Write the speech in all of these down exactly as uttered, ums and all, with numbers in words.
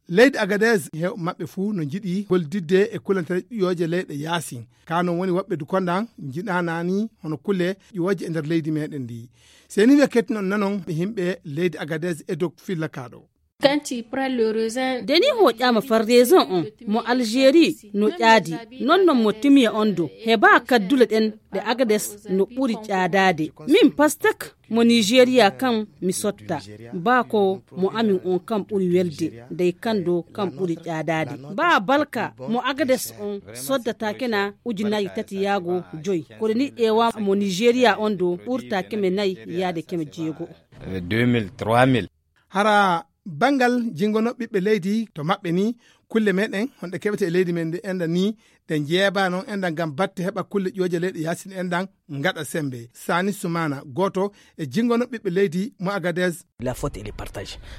Leydi Agadez hew maɓɓe fuu no njiɗi gollidde e kulantere ƴooje leyɗe yaasin. Ka non woni woɓɓe dukondan njiɗanani hono kule ƴooje e nder leydi meɗen ndi. Seni we kettinon nanon ɓe himɓe leydi Agadez e dok filla kaɗo. Deni hoƴƴama far reson on mo algérie no ƴaadi non non mo timiya on do heba kaddule ɗen ɗe agades no ɓuri ƴaadaade. Min pastek mo nigéria kan mi sotta ba ko mo amin on kan ɓuri welde dey kan do kan ɓuri ƴaadaade. Ba balka mo agades on soddata kena ujunaji tati yaago joy koɗe ni ƴeewa mo nigéria on do ɓurta keme nayi yaade keme jeego. Hara banngal jinngono ɓiɓɓe leydi to maɓɓe ni kulle meɗen honɗe keɓete e leydi men ndi enda ni ɗe jeeba noon enda ngam batte heɓa kulle ƴooje leyɗe yaasin endan ngaɗa sembe. Sani sumana gooto e jinngono ɓiɓɓe leydi mo agades.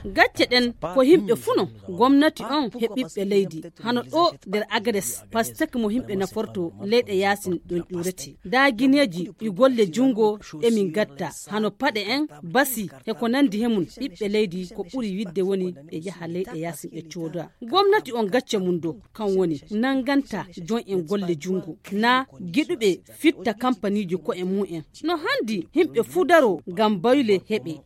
Gacce ɗen ko yimɓe fuu non gomnati on he ɓiɓɓe leydi hano ɗo nder agades pastek mo yimɓe naforto leyɗe yaasin ɗon ƴuurete daagineeji ɗi golle junngo emin gatta hano paɗe en basi he ko nanndi he mum ɓiɓɓe leydi ko ɓuri wiɗde woni ɓe yaha leyɗe yaasin ɓe cooda gomnati on gacce mum do kan woni nannganta jon en golle junngo na giɗuɓe fitta kampaniiji ko'e mum en no hanndi yimɓe fuu daro ngam bayle heɓe.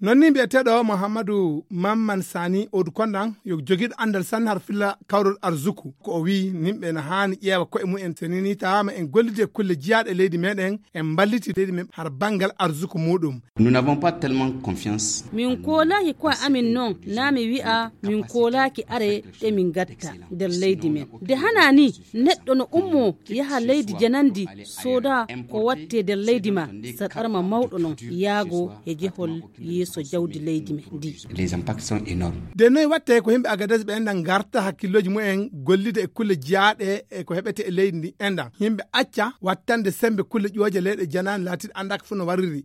Non ni mbiyeteeɗo muhammadu mamman sani odu kondan yo jogiiɗo anndal sanne har filla kawrol arzuku ko o wiyi nimɓe no haani ƴeewa koye mumen so nii nii tawaama en gollidi e kulle jiyaaɗe e leydi meɗen en mballiti leydi men har banngal arzuku muɗum. Nous n'avons pas tellement confiance. Min koolaaki koye amin non naa mi wi'a min koolaaki are ɗe min ngatta nder leydi men nde hana ni neɗɗo no ummo yaha leydi janandi sooda ko watte nder leydi ma saɗarma mawɗo non yaago e jehol yeeso jawdi leydi men ndi. Nde noy watte ko yimɓe agades ɓe enɗan garta hakkillooji mumen gollida e kulle jiyaaɗe e ko heɓete e leydi ndi enɗan yimɓe acca wattande sembe kulle ƴooje leyɗe janaani laatiɗe anndaaka fof no warriri.